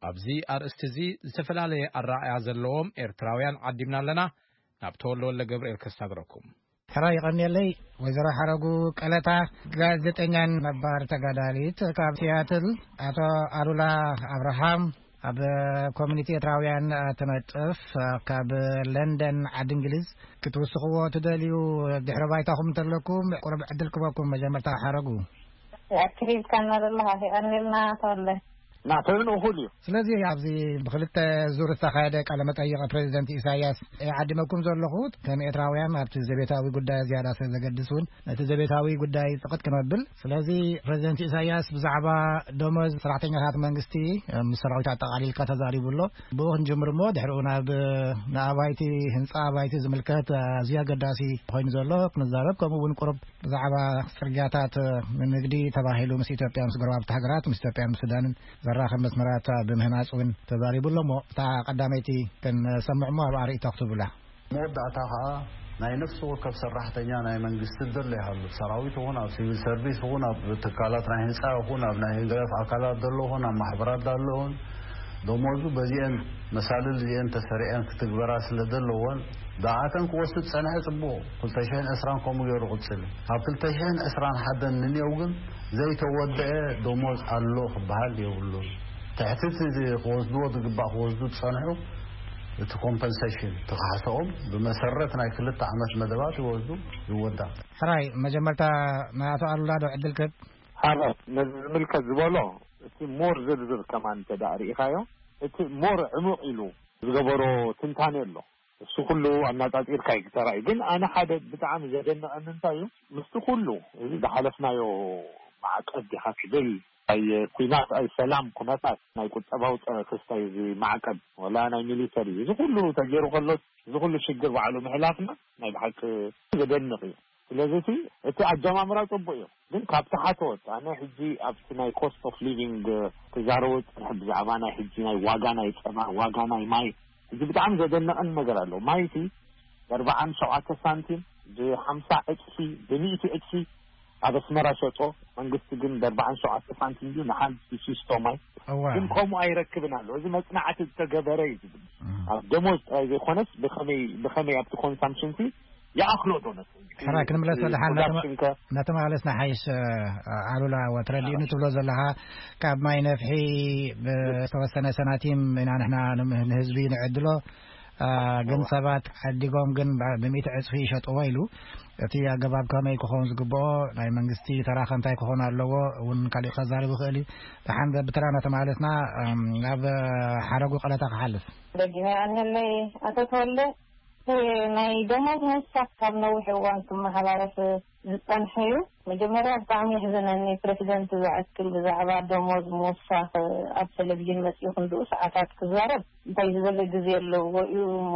ኣብዚ ኣርእስቲ እዚ ዝተፈላለየ ኣረኣእያ ዘለዎም ኤርትራውያን ዓዲምና ኣለና። ናብ ተወልደ ወልደ ገብርኤል ከሳግረኩም። ሕራይ ይቐንየለይ። ወይዘሮ ሓረጉ ቀለታ፣ ጋዜጠኛን ነባር ተጋዳሊት ካብ ሲያትል፣ ኣቶ ኣሉላ ኣብርሃም፣ ኣብ ኮሚኒቲ ኤርትራውያን ትነጥፍ፣ ካብ ለንደን ዓዲ እንግሊዝ፣ ክትውስኽዎ ትደልዩ ድሕረ ባይታኹም እንተለኩም ቁሩብ ዕድል ክበኩም። መጀመርታ ሓረጉ። ኣክሊልካ እናደለኻ ሄቐኒልና ተወለ። ናተን እኹል እዩ። ስለዚ ኣብዚ ብክልተ ዙር ዝተኻየደ ቃለ መጠይቕ ፕሬዚደንት ኢሳያስ ዓዲመኩም ዘለኹ ከም ኤርትራውያን ኣብቲ ዘቤታዊ ጉዳይ ዝያዳ ስለ ዘገድስ እውን ነቲ ዘቤታዊ ጉዳይ ጽቕጥ ክነብል። ስለዚ ፕሬዚደንት ኢሳያስ ብዛዕባ ደሞዝ ሰራሕተኛታት መንግስቲ ምስ ሰራዊት ኣጠቓሊልካ ተዛሪቡ ኣሎ። ብኡ ክንጅምር እሞ ድሕሪኡ ናብ ንኣባይቲ ህንጻ ኣባይቲ ዝምልከት ኣዝዩ ኣገዳሲ ኮይኑ ዘሎ ክንዛረብ፣ ከምኡ እውን ቁሩብ ብዛዕባ ጽርግያታት ንንግዲ ተባሂሉ ምስ ኢትዮጵያ ምስ ጎረባብቲ ሃገራት ምስ ኢትዮጵያ ምስ ሱዳንን ዘራኽብ መስመራት ብምህናጽ እውን ተዛሪቡ ኣሎ። እሞ እታ ቀዳመይቲ ክንሰምዕ እሞ ኣብኣ ርእይቶ ክትብላ። መወዳእታ ኸዓ ናይ ነፍሲ ወከፍ ሰራሕተኛ ናይ መንግስቲ ዘሎ ይሃሉ፣ ሰራዊት ይኹን ኣብ ሲቪል ሰርቪስ ይኹን ኣብ ትካላት ናይ ህንፃ ይኹን ኣብ ናይ ህግደፍ ኣካላት ዘሎ ይኹን ኣብ ማሕበራት ዘሎ ይኹን ደሞዙ በዚአን መሳልል እዚአን ተሰሪዐን ክትግበራ ስለ ዘለወን ብኣተን ክወስድ ጸንሐ ጽቡቕ። ክልተ ሽሕን ዕስራን ከምኡ ገይሩ ቅጽል እዩ። ኣብ ክልተ ሽሕን ዕስራን ሓደን ንኔው ግን ዘይተወደአ ደሞዝ ኣሎ ክበሃል የብሉን። ትሕቲ እቲ ክወስድዎ ዝግባእ ክወስዱ ዝጸንሑ እቲ ኮምፐንሴሽን እቲ ካሕስኦም ብመሰረት ናይ ክልተ ዓመት መደባት ይወስዱ ይወዳእ። ሕራይ መጀመርታ ንኣቶ ኣሉላ ዶ ዕድል ክህብ? ሓራይ ነዚ ዝምልከት ዝበሎ እቲ ሞር ዝርዝር ከማን እንተ ደኣ ርኢኻዮ እቲ ሞር ዕሙቕ ኢሉ ዝገበሮ ትንታኔ ኣሎ። እሱ ኩሉ ኣናጻጺርካ እዩ ተራእዩ። ግን ኣነ ሓደ ብጣዕሚ ዘደነቐኒ እንታይ እዩ፣ ምስቲ ኩሉ እዚ ዝሓለፍናዮ ማዕቀብ ዲኻ ክብል፣ ኣይ ኩናት፣ ኣይ ሰላም ኩነታት፣ ናይ ቁጠባዊ ጸ-፣ ክስታይ እዚ ማዕቀብ፣ ወላ ናይ ሚሊተሪ፣ እዚ ኩሉ ተገይሩ ከሎ፣ እዚ ኩሉ ሽግር ባዕሉ ምሕላፍና ናይ ብሓቂ ዘደንቕ እዩ። ስለዚ እቲ፣ እቲ ኣጀማምራ ጽቡቕ እዩ። ግን ካብ ታሕተዎት፣ ኣነ ሕጂ ኣብቲ ናይ ኮስት ኦፍ ሊቪንግ ክዛረቦ ዝጸንሐ ብዛዕባ ናይ ሕጂ ናይ ዋጋ ናይ ጸባ፣ ዋጋ ናይ ማይ፣ እዚ ብጣዕሚ ዘደነቐኒ ነገር ኣሎ። ማይ እቲ ብ ኣርባዓን ሸውዓተ ሳንቲም፣ ብ ሓምሳ ዕጽፊ፣ ብ ሚእቲ ዕጽፊ ኣብ ኣስመራ ሸጦ። መንግስቲ ግን ብ ኣርባዓን ሸውዓተ ሳንቲም ድዩ ንሓንቲ ሲስቶ ማይ? እዋ። ግን ከምኡ ኣይረክብን ኣሎ። እዚ መጽናዕቲ ዝተገበረ እዩ ዝብል። እም። ኣብ ደሞዝ ጥራይ ዘይኮነስ ብኸመይ፣ ብኸመይ ኣብቲ ኮንሳምፕሽን ሲ ይኣኽሎ ዶ ነቲ? ሕራይ ክንምለስ እቲ ወደሓን ፕሮዳክሽን ከ? እናተመላለስና ሓይሽ፣ እ፣ ኣሉላ፣ ወትረዲኡ ኣዎ። ንትብሎ ዘለኻ ካብ ማይ ነፍሒ ብዝተወሰነ ሰናቲም ኢና ንሕና ንም-፣ ንህዝቢ ንዕድሎ። እ፣ ግን እዋ። ሰባት ዓዲጎም ግን ብ-፣ ብሚእቲ ዕጽፊ ይሸጥዎ ኢሉ። እቲ ኣገባብ ከመይ ክኸውን ዝግብኦ፣ ናይ መንግስቲ ተራ ከ እንታይ ክኸውን ኣለዎ እውን ካሊእ ከዛርብ ይኽእል እዩ። ደሓን ብተራ እናተመላለስና፣ እም፣ ናብ ሓረጉ ቀለታ ክሓልፍ። ደጊመ ኣነለይ ኣቶ ተወልደ፣ ናይ ደሞዝ ምውሳኽ ካብ ነዊሕ እዋን ክመሓላለፍ ዝጸንሐ እዩ። መጀመርያ ብጣዕሚ የሕዝነኒ፣ ፕረሲደንት ዝኣክል ብዛዕባ ደሞዝ ምውሳኽ ኣብ ቴሌቪዥን መጺኡ ክንድኡ ሰዓታት ክዛረብ እንታይ ዝበለ ግዜ ኣለዎ እዩ እሞ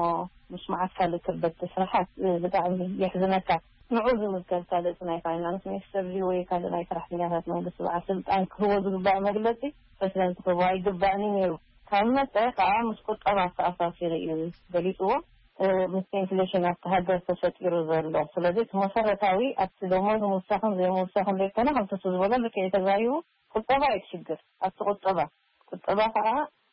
ምስ መዓት ካልእ ክበቲ ስራሓት ብጣዕሚ የሕዝነካ። ንዑ ዝምልከት ካልእ እቲ ናይ ፋይናንስ ሚኒስተር ድዩ ወይ ካልእ ናይ ሰራሕተኛታት መንግስቲ በዓል ስልጣን ክህቦ ዝግባእ መግለጺ ፕረሲደንት ክህቦ ኣይግባእን እዩ ነይሩ። ካብ መጸ ከኣ ምስ ቁጠባ ኣተኣሳሲሩ እዩ ገሊጽዎ። እ፣ ምስ ኢንፍሌሽን ኣብቲ ሃገር ተፈጢሩ ዘሎ። ስለዚ እቲ መሰረታዊ ኣብቲ ደሞዝ ምውሳኽን ዘይምውሳኽን ዘይኮነ፣ ከምቲ እሱ ዝበሎ ልክዕ እዩ ተዛሪቡ፣ ቁጠባ እዩ እቲ ሽግር። ኣብቲ ቁጠባ፣ ቁጠባ ከኣ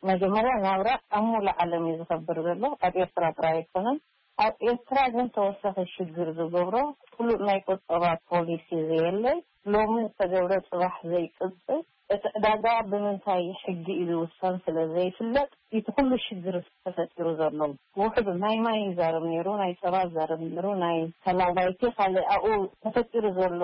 መጀመርያ ናብራ ኣብ ሙሉእ ዓለም እዩ ዝኸብር ዘሎ፣ ኣብ ኤርትራ ጥራይ ኣይኮነን። ኣብ ኤርትራ ግን ተወሳኺ ሽግር ዝገብሮ ፍሉጥ ናይ ቁጠባ ፖሊሲ ዘየለ፣ ሎሚ ዝተገብረ ጽባሕ ዘይቅጽል፣ እቲ ዕዳጋ ብምንታይ ሕጊ እዩ ዝውሰን ስለ ዘይፍለጥ፣ እቲ ኩሉ ሽግር ተፈጢሩ ዘሎ። ውሑድ ናይ ማይ ይዛረብ ነይሩ፣ ናይ ጸባ ይዛረብ ነይሩ፣ ናይ ሰላም ባይቲ ካልእ ኣብኡ ተፈጢሩ ዘሎ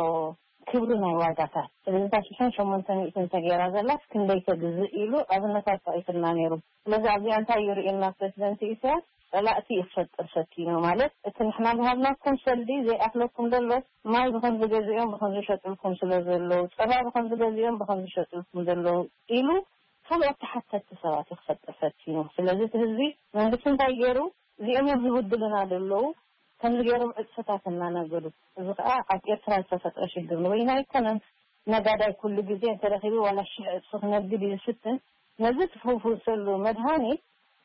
ክብሪ ናይ ዋጋታት። ስለዚ እታ ሽሕን ሸሞንተ ሚእትን ተገይራ ዘላስ ክንደይ ተግዝእ ኢሉ ኣብነታት ጠቒሱልና ነይሩ። ስለዚ ኣብዚኣ እንታይ እዩ ርእዩና ፕረሲደንት ኢሳያስ? ጸላእቲ እዩ ክፈጥር ፈቲኑ። ማለት እቲ ንሕና ዝሃብናኩም ሰልዲ ዘይኣክለኩም ዘሎ፣ ማይ ብኸም ዝገዝኦም ብኸም ዝሸጥልኩም ስለ ዘለዉ፣ ጸባ ብኸም ዝገዝኦም ብኸም ዝሸጥልኩም ዘለዉ ኢሉ ካልኦት ተሓተቲ ሰባት እዩ ክፈጥር ፈቲኑ። ስለዚ እቲ ህዝቢ መንግስቲ እንታይ ገይሩ? እዚኦም እዮም ዝብድሉና ዘለዉ፣ ከምዚ ገይሮም ዕፅፍታት እናነገዱ፣ እዚ ከዓ ኣብ ኤርትራ ዝተፈጥረ ሽግር ንበይኑ ኣይኮነን። ነጋዳይ ኩሉ ግዜ እንተረኺቡ ዋላ ሽሕ ዕፅፊ ክነግድ እዩ ዝፍትን። ነዚ ትፍውሰሉ መድሃኒት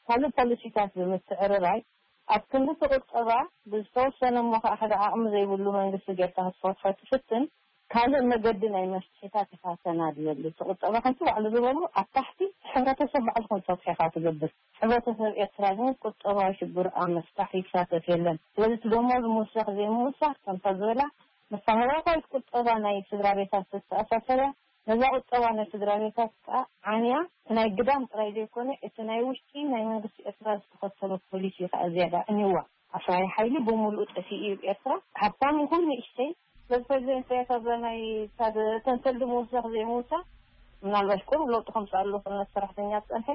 ካልእ ፖሊሲታት ብምትዕርራይ፣ ኣብ ክንዲ እቲ ቁጠባ ብዝተወሰነ እሞ ከዓ ሓደ ዓቕሚ ዘይብሉ መንግስቲ ጌርካ ክትፈትሖ ትፍትን፣ ካልእ መገዲ ናይ መፍትሒታት ኢኻ ተናድየሉ። እቲ ቁጠባ ከምቲ ባዕሉ ዝበሎ ኣብ ታሕቲ እቲ ሕብረተሰብ ባዕሉ ከም ዝፈትሖ ኢኻ ትገብር። ሕብረተሰብ ኤርትራ ግን ቁጠባዊ ሽግሩ ኣብ ምፍታሕ ይሳተፍ የለን። ስለዚ እቲ ደሞዝ ምውሳኽ ዘይምውሳኽ ከምታ ዝበላ መሰረታዊት ቁጠባ ናይ ስድራ ቤታት ዘተኣሳሰር እያ። ነዛ ቁጠባ ናይ ስድራ ቤታት ከዓ ዓንያ እቲ ናይ ግዳም ጥራይ ዘይኮነ እቲ ናይ ውሽጢ ናይ መንግስቲ ኤርትራ ዝተኸተሎ ፖሊሲ ከዓ ዝያዳ ዕንይዋ። ኣፍራይ ሓይሊ ብምሉኡ ጠፊኡ እዩ ኤርትራ። ሃብታም ይኹን ንእሽተይ በዚ ፕሬዚደንት ኢሳያስ ኣብዛ ናይ እተን ሰልዲ ምውሳኽ ዘይምውሳኽ ምናልባሽ ቁሩብ ለውጢ ከምፅእ ኣለኹ እናተሰራሕተኛ ዝፀንሐ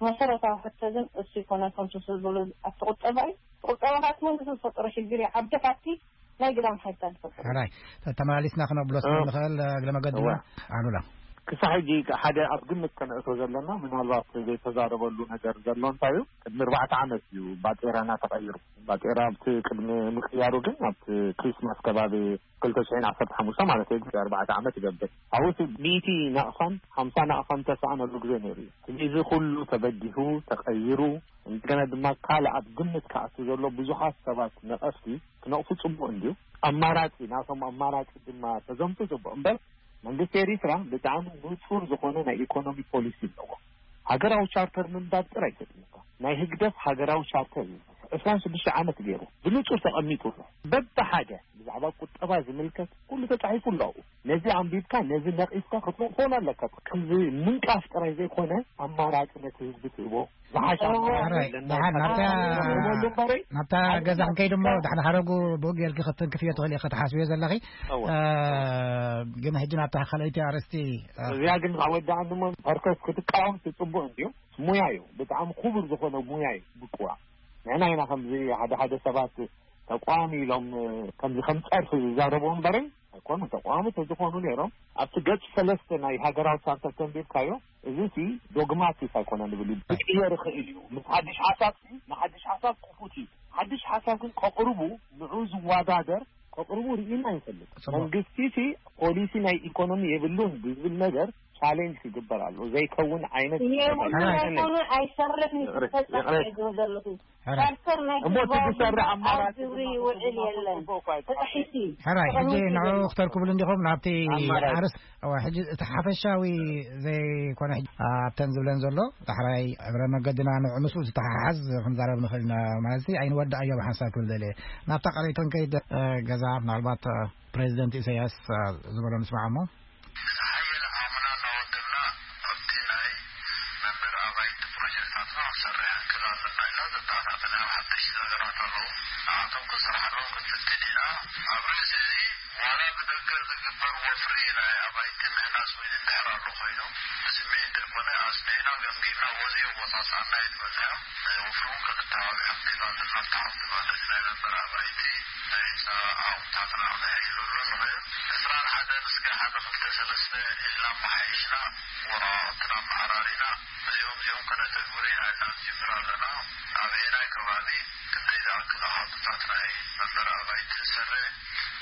መሰረታዊ ሕቶ ግን እሱ ይኮነ ከምሱ ዝበሉ ኣብቲ ቁጠባ እዩ። ቁጠባ ካብቲ መንግስቲ ዝፈጠሮ ሽግር እዩ። ዓዲ ካብቲ ናይ ግዳም ሓይልታት ዝፈጠሮ። ሕራይ፣ ተመላሊስና ክነብሎ ስለ ንኽእል እግረ መገድና ኣሉላ። ክሳብ ሕጂ ሓደ ኣብ ግምት ከነእቶ ዘለና ምናልባት ዘይተዛረበሉ ነገር ዘሎ እንታይ እዩ? ቅድሚ ኣርባዕተ ዓመት እዩ ባጤራና ተቐይሩ። ባጤራ ኣብቲ ቅድሚ ምቅያሩ ግን ኣብቲ ክሪስማስ ከባቢ ክልተ ሽሕን ዓሰርተ ሓሙሽተ ማለት እዩ ኣርባዕተ ዓመት ይገብር። ኣብኡ እቲ ሚእቲ ናቕፋን ሓምሳ ናቕፋን ተሰኣነሉ ግዜ ነይሩ እዩ። እዚ ኩሉ ተበጊሁ ተቐይሩ እንደገና ድማ ካልእ ኣብ ግምት ክኣቱ ዘሎ ብዙሓት ሰባት ነቐፍቲ ክነቕፉ ጽቡቕ እንድዩ። ኣማራጺ ናቶም ኣማራጺ ድማ ተዘምቱ ጽቡቕ እምበር መንግስቲ ኤሪትራ ብጣዕሚ ንጹር ዝኾነ ናይ ኢኮኖሚ ፖሊሲ ኣለዎ። ሃገራዊ ቻርተር ምንባብ ጥራይ ተጥምካ ናይ ህግደፍ ሃገራዊ ቻርተር እዩ። ዕስራን ሽዱሽተ ዓመት ገይሩ ብንጹር ተቐሚጡ ኣሎ። በብሓደ ብዛዕባ ቁጠባ ዝምልከት ኩሉ ተጻሒፉ ኣሎ። ነዚ ኣንቢብካ ነዚ ነቒፍካ ክትነቕፎን ኣለካ። ከምዚ ምንቃፍ ጥራይ ዘይኮነ ኣማራጺ ነቲ ህዝቢ ትህቦ ዝሓሻ ኣማራጺ ኣለና። ናብታ ገዛ ክንከይድ እሞ ዳሕና ሓረጉ ብኡ ጌርኪ ክትንክፍዮ ትኽእል ኢኺ ክትሓስብዮ ዘለኺ። ግን ሕጂ ናብታ ካልኣይቲ ኣርእስቲ እዚኣ ግን ኣወዳእኒ እሞ ፐርከስ ክትቃወም ጽቡቕ እንድዩ። ሙያ እዩ። ብጣዕሚ ክቡር ዝኾነ ሙያ እዩ ብቅዋ። ንሕና ኢና ከምዚ ሓደ ሓደ ሰባት ተቋሚ ኢሎም ከምዚ ከም ጸርፊ ዝዛረቡ እምበረይ ኣይኮኑ ተቋሚ ተዝኾኑ ነይሮም ኣብቲ ገጽ ሰለስተ ናይ ሃገራዊ ቻርተር ተንቢብካዮ እዚ ሲ ዶግማቲክ ኣይኮነ ንብል እዩ። ክቅየር ይኽእል እዩ። ምስ ሓድሽ ሓሳብ ሲ ንሓድሽ ሓሳብ ክፉት እዩ። ሓድሽ ሓሳብ ግን ከቕርቡ ንዑ ዝወዳደር ከቕርቡ ርኢና ይፈልጥ። መንግስቲ ሲ ፖሊሲ ናይ ኢኮኖሚ የብሉን ብዝብል ነገር ቻሌንጅ ክግበር ኣሎ ዘይከውን ዓይነት የብሉን ኣይኮነ ኣይሰርሕን ይፈጸም ዝብል ዘለኹ ቻርተር ናይ እሞ እቲ ዝሰርሕ ኣማራጺ ግብሪ ይውዕል የለን። ተጣሒሱ ሕራይ ሕጂ ንዑ ክተርክብሉ እንዲኹም ናብቲ ኣርስ ሕጂ እቲ ሓፈሻዊ ዘይኮነ ኣብተን ዝብለን ዘሎ ዳሕራይ እግረ መገድና ንዑ ምስኡ ዝተሓሓዝ ክንዛረብ ንኽእል ኢና ማለት ኣይንወዳእ እዮ ብሓንሳብ ክብል ደልየ ናብታ ቃለይተን ከይድ ገዛ ምናልባት ፕሬዚደንት ኢሳያስ ዝበሎ ንስማዕ እሞ ዝሓየለ ዓቕምና እናወደብና ኣብቲ ናይ መንበሪ ኣባይቲ ፕሮጀክትታትና ክንሰርሕ ክንክእል ኣለና ኢልና ዘተኣታተናዮም ሓደሽቲ ነገራት ኣለዉ። ንዓቶም ክንሰርሓሎም ክንፍትን ኢና። ኣብ ርእሲ እዚ ዋላ ብደገ ዝግበር ወፍሪ ናይ ኣባይቲ ምህናፅ ወይ እንድሕር ኣሎ ኮይኑ ብስምዒት ዘይኮነ ኣፅኒዕና ገምጊምና ወዚ ኣወፃፅኣና እዩ ንበፅሖ። ናይ ወፍሪ እውን ክልተ ዓብዩ ሓፍቲ ኣለና። ሓፍቲ ማለት ናይ መንበሪ ኣባይቲ ናይ ህንፃ ዓቕምታትና ክነየሽለሉ ንኽእል። ዕስራን ሓደን እስከ ሓደ ክልተ ሰለስተ ኢልና ኣመሓይሽና ወረቓቕትና ኣመዓራሪና እዚኦም እዚኦም ከነተግብር ኢና ኢልና ንጅምር ኣለና። ኣበየናይ ከባቢ ክንደይ ዝኣክል ኣሃዱታት ናይ መንበሪ ኣባይቲ ንሰርሕ፣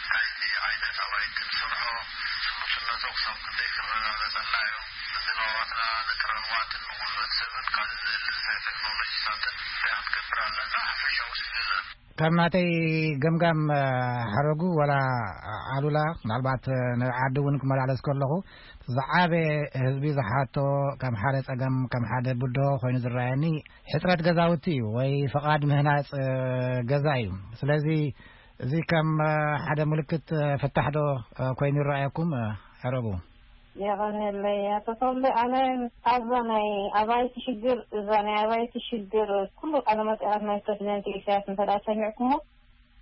እንታይ ዓይነት ኣባይቲ ንሰርሖ፣ ስሉስነቶም ክሳብ ክንደይ ክረጋገጸልና እዩ፣ ንድባባትና፣ ንትራማትን ንጉልበት ሰብን ካልእ ዘድሊ እንታይ ቴክኖሎጂታትን እንታይ ክንገብር ኣለና፣ ሓፈሻዊ ስእሊ ዘርኢ። ካብ ናተይ ገምጋም ሓረጉ ዋላ ኣሉላ ምናልባት ንዓዲ እውን ክመላለስ ከለኹ ዝዓበ ህዝቢ ዝሓቶ ከም ሓደ ፀገም ከም ሓደ ብድሆ ኮይኑ ዝረኣየኒ ሕፅረት ገዛውቲ እዩ ወይ ፍቓድ ምህናፅ ገዛ እዩ። ስለዚ እዚ ከም ሓደ ምልክት ፍታሕ ዶ ኮይኑ ይረኣየኩም? ሓረጉ የቐንየለይ ኣቶ ተወልደ። ኣነ ኣብዛ ናይ ኣባይቲ ሽግር እዛ ናይ ኣባይቲ ሽግር ኩሉ ቃለ መጠይቓት ናይ ፕረዚደንት ኢሳያስ እንተ ደኣ ሰሚዕኩሞ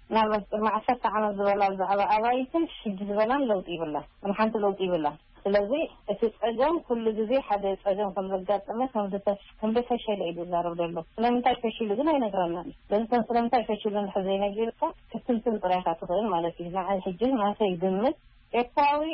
ምናልባት ቅድሚ ዓሰርተ ዓመት ዝበላ ብዛዕባ ኣባይትን ሕጂ ዝበላን ለውጢ ይብላን። ምንም ሓንቲ ለውጢ ይብላን። ስለዚ እቲ ጸገም ኩሉ ግዜ ሓደ ጸገም ከም ዘጋጠመ ከም ዝተፍ-፣ ከም ዝፈሸለ እዩ ዝዛረብ ዘሎ። ስለምንታይ ፈሽሉ ግን ኣይነግረናን እዩ። ስለዚ ከም ስለምንታይ ፈሽሉ እንድሕር ዘይነጊርካ ክትንትን ጥራይ ኢኻ ትኽእል ማለት እዩ። ንዓይ ሕጂ ናተይ ግምት ኤርትራዊ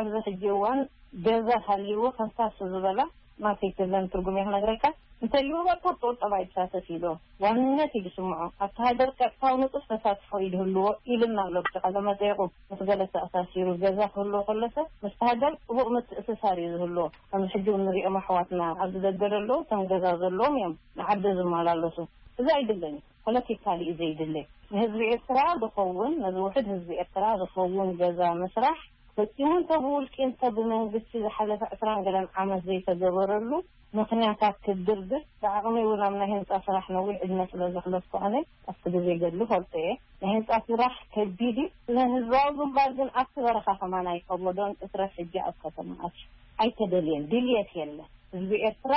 ኣብዚ ሕጂ እዋን ገዛ ሃልይዎ ከምሳሱ ዝበላ ማርኬት ዘለን ትርጉም እየ ክነግረካ። እንተልይዎ በቃ ቁጠባ ይሳተፍ ኢሉ ዋንነት እዩ ዝስምዖ። ኣብቲ ሃገር ቀጥታዊ ንጡፍ ተሳትፎ እዩ ዝህልዎ ኢልና ኣሎ። ብቃለ መጠይቁ ምስ ገለ ተኣሳሲሩ ገዛ ክህልዎ ከሎ ሰብ ምስቲ ሃገር ጥቡቕ ምትእስሳር እዩ ዝህልዎ። ከምዚ ሕጂ እውን ንሪኦም ኣሕዋትና ኣብዚ ደገ ዘለዉ ከም ገዛ ዘለዎም እዮም ንዓዲ ዝመላለሱ። እዚ ኣይድለን እዩ። ፖለቲካሊ እዩ ዘይድለ። ንህዝቢ ኤርትራ ዝኸውን፣ ነዚ ውሕድ ህዝቢ ኤርትራ ዝኸውን ገዛ ምስራሕ ፈጺሙ እንተ ብውልቂ እንተ ብመንግስቲ ዝሓለፈ ዕስራን ገለን ዓመት ዘይተገበረሉ ምኽንያታት ክድርድር ብዓቕመይ እውን ኣብ ናይ ህንጻ ስራሕ ነዊሕ ዕድመ ስለ ዘሕለፍኩ ኣነ ኣብቲ ግዜ ገድሊ ፈልጦ እየ። ናይ ህንጻ ስራሕ ከቢድ እዩ። ንህዝባዊ ግንባር ግን ኣብቲ በረኻ ከማን ኣይከበዶን እትረፍ ሕጂ ኣብ ከተማ ኣትዩ ኣይተደልየን። ድልየት የለን። ህዝቢ ኤርትራ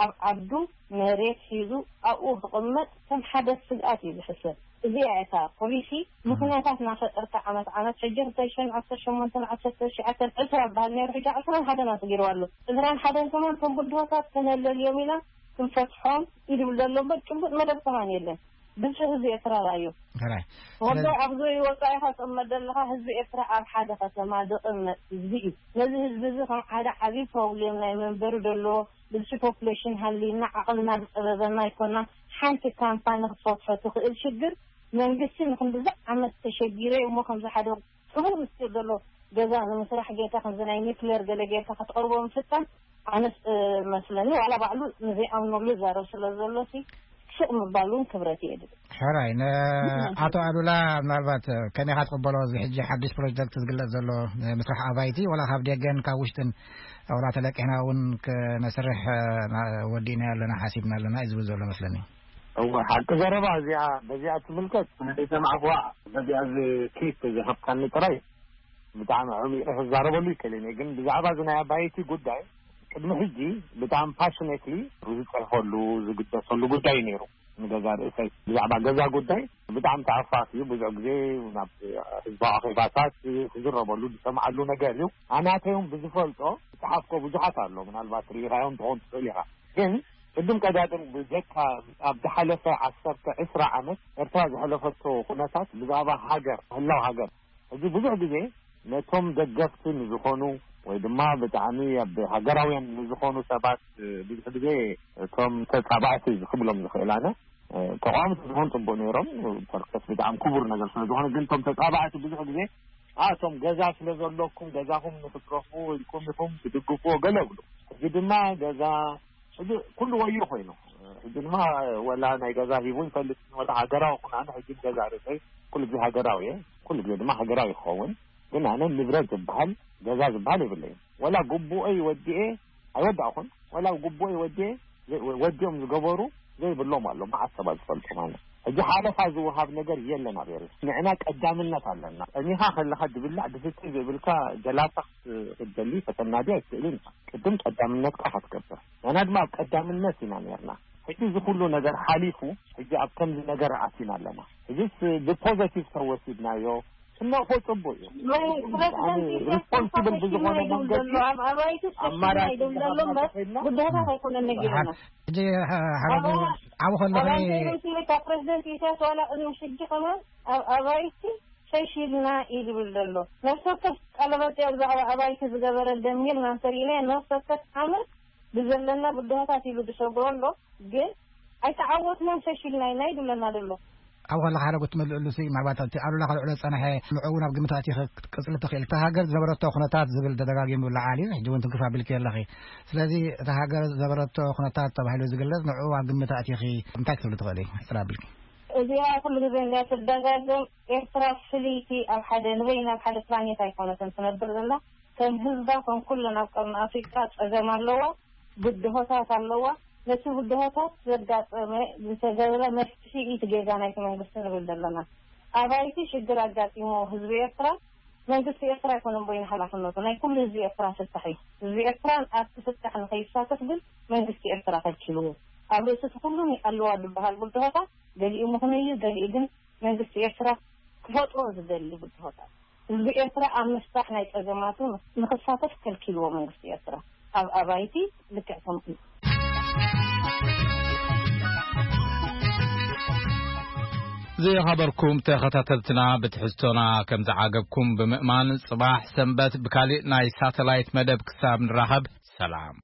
ኣብ ዓዱ መሬት ሒዙ ኣብኡ ክቕመጥ ከም ሓደ ስግኣት እዩ ዝሕሰብ። እዚኣ እታ ፖሊሲ። ምኽንያታት እናፈጠርካ ዓመት ዓመት ሕጂ ክልተ ሽሕን ዓሰርተ ሸሞንተን ዓሰርተ ትሽዓተን ዕስራ በሃል ነይሩ፣ ሕጂ ዕስራን ሓደን ኣስጊሩ ኣሎ። ዕስራን ሓደን ከማን ከም ብድሆታት ከነለልዮም ኢና ክንፈትሖም ኢሉ ይብል ዘሎ እምበር ጭቡጥ መደብ ከማን የለን። ብዝሒ ህዝቢ ኤርትራ ርኣዮ። ሕራይ። ወዶ ስለዚ ኣብ ዙሪ ወጻኢኻ ትቕመጥ ዘለኻ ህዝቢ ኤርትራ ኣብ ሓደ ከተማ ዝቕመጥ ህዝቢ እዩ። ነዚ ህዝቢ እዚ ከም ሓደ ዓብዪ ፕሮብሌም ናይ መንበሪ ዘለዎ ብዝሒ ፖፕሌሽን ሃልዩና ዓቕልና ዝጸበበና ኣይኮና። ሓንቲ ካምፓኒ ክትፈትሖ ትኽእል ሽግር መንግስቲ ንክንድዚ ዓመት ተሸጊረ እሞ ከምዚ ሓደ ሕቡር ምስጢር ዘሎ ገዛ ንምስራሕ ጌርካ ከምዚ ናይ ኒክሌር ገለ ጌርካ ክትቐርቦ ምፍታን ኣነስ መስለኒ ዋላ ባዕሉ ንዘይኣምነሉ ይዛረብ ስለ ዘሎ ሲ ሱቕ ምባል እውን ክብረት የድል። ሕራይ ንኣቶ ኣሉላ ምናልባት ከመይ ኢኻ ትቕበሎ እዚ ሕጂ ሓድሽ ፕሮጀክት ዝግለጽ ዘሎ ምስራሕ ኣባይቲ ዋላ ካብ ደገን ካብ ውሽጥን ዋላ ተለቂሕና እውን ክነስርሕ ወዲእና ኣለና ሓሲብና ኣለና እዩ ዝብል ዘሎ መስለኒ። እወ ሓቂ ዘረባ እዚኣ በዚኣ ትምልከት ናይ ሰማዕኩዋ በዚኣ እዚ ክሊፕ ዝኸፍካኒ ጥራይ ብጣዕሚ ዓሚቑ ክዛረበሉ ይክእል እየ ግን ብዛዕባ እዚ ናይ ኣባይቲ ጉዳይ ቅድሚ ሕጂ ብጣዕሚ ፓሽኔትሊ ዝፅሕፈሉ ዝግደሰሉ ጉዳይ እዩ ነይሩ። ንገዛ ርእሰይ ብዛዕባ ገዛ ጉዳይ ብጣዕሚ ተኣፋፍ እዩ። ብዙሕ ግዜ ናብ ህዝባዊ ኣኼባታት ክዝረበሉ ዝሰምዓሉ ነገር እዩ። ኣናተይ እውን ብዝፈልጦ ዝፀሓፍኮ ብዙሓት ኣሎ። ምናልባት ርኢኻዮም ትኾን ትኽእል ኢኻ። ግን ቅድም ቀዳድም ብጀካ ኣብ ዝሓለፈ ዓሰርተ ዕስራ ዓመት ኤርትራ ዝሓለፈቶ ኩነታት ብዛዕባ ሃገር ህላው ሃገር እዚ ብዙሕ ግዜ ነቶም ደገፍቲ ንዝኾኑ ወይ ድማ ብጣዕሚ ኣብ ሃገራውያን ንዝኾኑ ሰባት ብዙሕ ግዜ እቶም ተጻባእቲ ክብሎም ዝኽእል ኣነ ተቃወምቲ ዝኾኑ ጽቡቅ ነይሮም ፐርሰስ ብጣዕሚ ክቡር ነገር ስለ ዝኾነ ግን እቶም ተጻባእቲ ብዙሕ ግዜ ኣቶም ገዛ ስለ ዘለኩም ገዛኹም ንክትረኽቡ ኢልኩም ኢኹም ትድግፍዎ ገለ ብሉ ሕጂ ድማ ገዛ ሕጂ ኩሉ ወዩ ኮይኑ ሕጂ ድማ ወላ ናይ ገዛ ሂቡ ይፈልጥ ወላ ሃገራዊ ኩን ኣነ ሕጂ ገዛ ርእሰይ ኩሉ ግዜ ሃገራዊ እየ ኩሉ ግዜ ድማ ሃገራዊ ይኸውን ግን ኣነ ንብረት ዝበሃል ገዛ ዝበሃል የብለይን ወላ ግቡኦይ ወዲኤ ኣይወዳእኹን ወላ ግቡኦይ ወዲኤ ወዲኦም ዝገበሩ ዘይብሎም ኣሎ መዓት ሰባት ዝፈልጡ ማለት ሕጂ ሓለፋ ዝወሃብ ነገር የለን ኣብ ኤርትራ ንዕና ቀዳምነት ኣለና ጠሚኻ ከለኻ ድብላዕ ድስቲ ዘይብልካ ጀላታ ክትደሊ ከተናዲ ኣይትኽእልን ኢኻ ቅድም ቀዳምነትካ ኢኻ ትገብር ንሕና ድማ ኣብ ቀዳምነት ኢና ነርና ሕጂ እዚ ኩሉ ነገር ሓሊፉ ሕጂ ኣብ ከምዚ ነገር ኣቲና ኣለና ሕጂስ ብፖዘቲቭ ተወሲድናዮ ስነፎ ጽቡቅ እዩ ሪስፖንስብል ብዝኾነ መንገዲ ኣማራጭ ብድሆታት ኣይኮነን ነጊርና ሕጂ ሓረጉ ዓቡ ከለኺ ካብ ፕሬዚደንት ኢሳያስ ዋላ ቅድሚ ሕጂ ከማን ኣብ ኣባይቲ ሸይሽልና እዩ ዝብል ዘሎ ነፍሲ ወከፍ ቀለበጥ ብዛዕባ ኣባይቲ ዝገበረ ደሚር ናንተሪኢና ነፍሲ ወከፍ ዓመት ብዘለና ብድሆታት ኢሉ ዝሰግሮ ኣሎ ግን ኣይተዓወትናን ሸይሽልና ኢና ይብለና ዘሎ ኣብ ከለካ ሓደ ክትምልእሉ ሲ ምናልባት እቲ ኣሉላ ከልዕሎ ዝጸንሐ ንዕኡ ናብ ግምት ኣእቲኺ ክትቅጽሊ ትኽእል እታ ሃገር ዝነበረቶ ኩነታት ዝብል ተደጋጊሙ ይለዓል እዩ ሕጂ እውን ትንክፍ ኣቢልኪ ኣለኺ ስለዚ እታ ሃገር ዝነበረቶ ኩነታት ተባሂሉ ዝግለጽ ንዕኡ ኣብ ግምት ኣእቲኺ እንታይ ክትብሊ ትኽእሊ ሕጽር ኣቢልኪ እዚኣ ኩሉ ግዜ እንድያ ትደጋገም ኤርትራ ፍልይቲ ኣብ ሓደ ንበይና ኣብ ሓደ ፕላኔት ኣይኮነትን ትነብር ዘላ ከም ህዝባ ከም ኩለን ኣብ ቀርኒ ኣፍሪቃ ጸገም ኣለዋ ብድሆታት ኣለዋ ነቲ ብድሆታት ዘጋጠመ ዝተገብረ መፍትሒ እቲ ጌጋ ናይቲ መንግስቲ ንብል ዘለና ኣባይቲ ሽግር ኣጋጢሞ ህዝቢ ኤርትራ መንግስቲ ኤርትራ ኣይኮነን በይኑ ሓላፍነቱ ናይ ኩሉ ህዝቢ ኤርትራ ፍታሕ እዩ ህዝቢ ኤርትራ ኣብቲ ፍታሕ ንኸይሳተፍ ግን መንግስቲ ኤርትራ ከልኪልዎ ኣብ ርእሲ እቲ ኩሉ ኣለዋ ዝበሃል ብድሆታት ገሊኡ ምኽኑይ እዩ ገሊኡ ግን መንግስቲ ኤርትራ ክፈጥሮ ዝደሊ ብድሆታት ህዝቢ ኤርትራ ኣብ ምፍታሕ ናይ ጸገማቱ ንኽሳተፍ ከልኪልዎ መንግስቲ ኤርትራ። ኣብ ኣባይቲ ልክዕ ከምኡ። ዝኸበርኩም ተኸታተልትና፣ ብትሕዝቶና ከም ዝዓገብኩም ብምእማን፣ ጽባሕ ሰንበት ብካሊእ ናይ ሳተላይት መደብ ክሳብ ንራኸብ፣ ሰላም።